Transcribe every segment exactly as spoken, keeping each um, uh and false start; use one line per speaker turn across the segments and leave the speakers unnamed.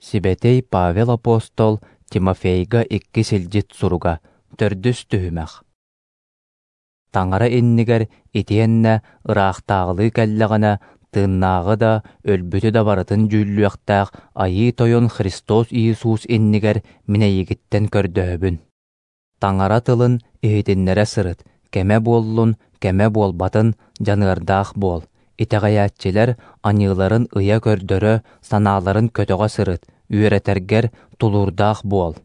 Сибэтиэй Павел апостол Тимофейга иккис илдьит суруга, төрдүс түһүмэх. Таҥара иннигэр итиэннэ ыраахтааҕылыы кэллэҕинэ, тыыннааҕы да, өлбүтү да барытын дьүүллүөхтээх Айыы Тойон Христос Иисус иннигэр мин эйигиттэн көрдөһөбүн. Таҥара тылын иһитиннэрэ сырыт, кэмэ буоллун, кэмэ буолбатын, дьаныардаах буол. Итэҕэйээччилэр аньыыларын ыйа көрдөрө, санааларын көтөҕө сырыт, үөрэтэргэр тулуурдаах буол.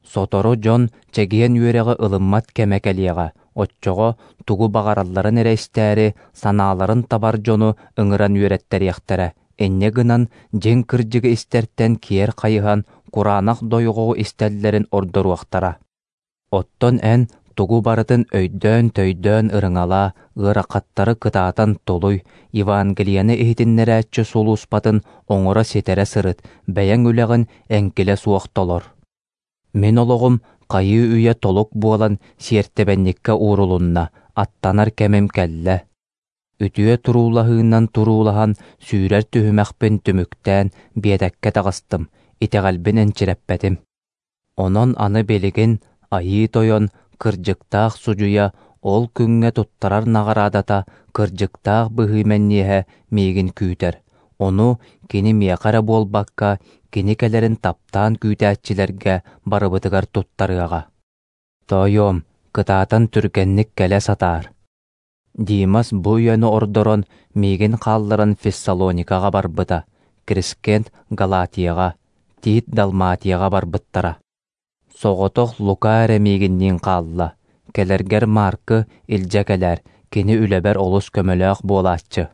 Сотору дьон чэгиэн үөрэҕи ылыммат кэмэ кэлиэҕэ, оччоҕо тугу баҕаралларын эрэ истээри, санааларын табар дьону ыҥыран үөрэттэриэхтэрэ, инньэ гынан дьиҥ кырдьыгы истэртэн киэр хайыһан, кураанах дойҕоҕу истэллэрин ордоруохтара. Оттон эн тугу барытын өйдөөн-төйдөөн ырыҥалаа, ыарахаттары кытаатан тулуй, Евангелиены иһитиннэрээччи сулууспатын оҥоро-ситэрэ сырыт, бэйэҥ үлэҕин эҥкилэ суох толор. Мин олоҕум хайыы-үйэ толук буолан сиэртибэнньиккэ уурулунна, аттанар кэмим кэллэ. Үтүө туруулаһыынан туруулаһан сүүрэр түһүмэхпин түмүктээн биэтэккэ таҕыстым, итэҕэлбин энчирэппэтим. Онон аны билигин Айыы Тойон, кырдьыктаах судьуйа, ол күҥҥэ туттарар наҕараадата, кырдьыктаах быһыы мэнниэһэ миигин күүтэр. Ону кини миэхэ эрэ буолбакка, кини кэлэрин таптаан күүтээччилэргэ барыбытыгар туттарыаҕа. Тоойуом, кытаатан түргэнник кэлэ сатаар. Димас бу үйэни ордорон, миигин хаалларан Фессалоникаҕа барбыта, Крискент Галатияҕа, Тит Далматияҕа барбыттара. Соҕотох Лука эрэ миигинниин хаалла. Кэлэргэр Маркы илдьэ кэлээр, кини үлэбэр олус көмөлөөх буолааччы.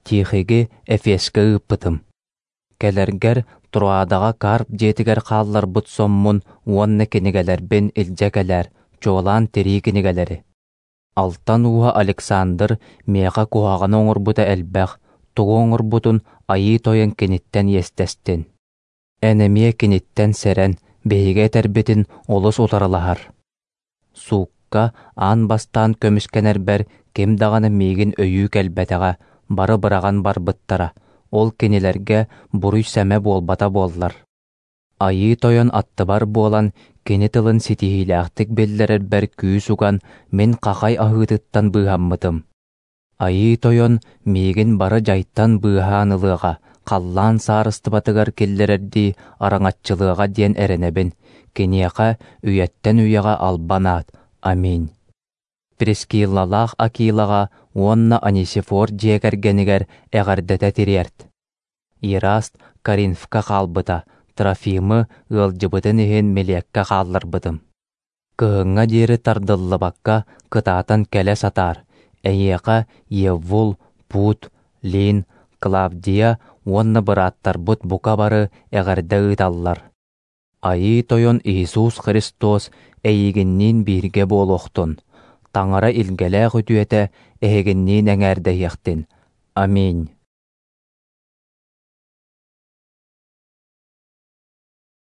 Тихиги Эфескэ ыыппытым. Кэлэргэр Троадаҕа Карп дьиэтигэр хаалларбыт соммун уонна кинигэлэрбин илдьэ кэлээр, чуолаан тирии кинигэлэри. Алтан ууһа Александр миэхэ куһаҕаны оҥорбута элбэх, тугу оҥорбутун Айыы Тойон киниттэн иэстэстин. Эн эмиэ киниттэн сэрэн, биһиги этэрбитин олус утарылаһар. Суукка аан бастаан көмүскэнэрбэр ким даҕаны миигин өйүү кэлбэтэҕэ, бары быраҕан барбыттара, ол кинилэргэ буруй-сэмэ буолбата буоллар. Айыы Тойон аттыбар буолан, кини тылын ситиһиилээхтик биллэрэрбэр күүс уган, мин хахай аһыытыттан быыһаммытым. Айыы Тойон миигин бары дьайтан быыһаан ылыаҕа, халлаан саарыстыбатыгар киллэрэрдии араҥаччылыаҕа диэн эрэнэбин, киниэхэ үйэттэн үйэҕэ албан аат. Аминь. Прискиллалаах Акилаҕа уонна Анисифор дьиэ кэргэнигэр эҕэрдэтэ тириэрт. Ераст Коринфка хаалбыта, Трофимы ыалдьыбытын иһин Милеккэ хаалларбытым. Кыһыҥҥа диэри тардыллыбакка кытаатан кэлэ сатаар. Эйиэхэ Еввул, Пут, Лин, Клавдия уонна бырааттарбыт бука бары эҕэрдэ ыыталлар. Айыы Тойон Иисус Христос эйигинниин бииргэ буолуохтун. Таҥара илгэлээх үтүөтэ эһигинниин эҥээрдэһиэхтин. Аминь.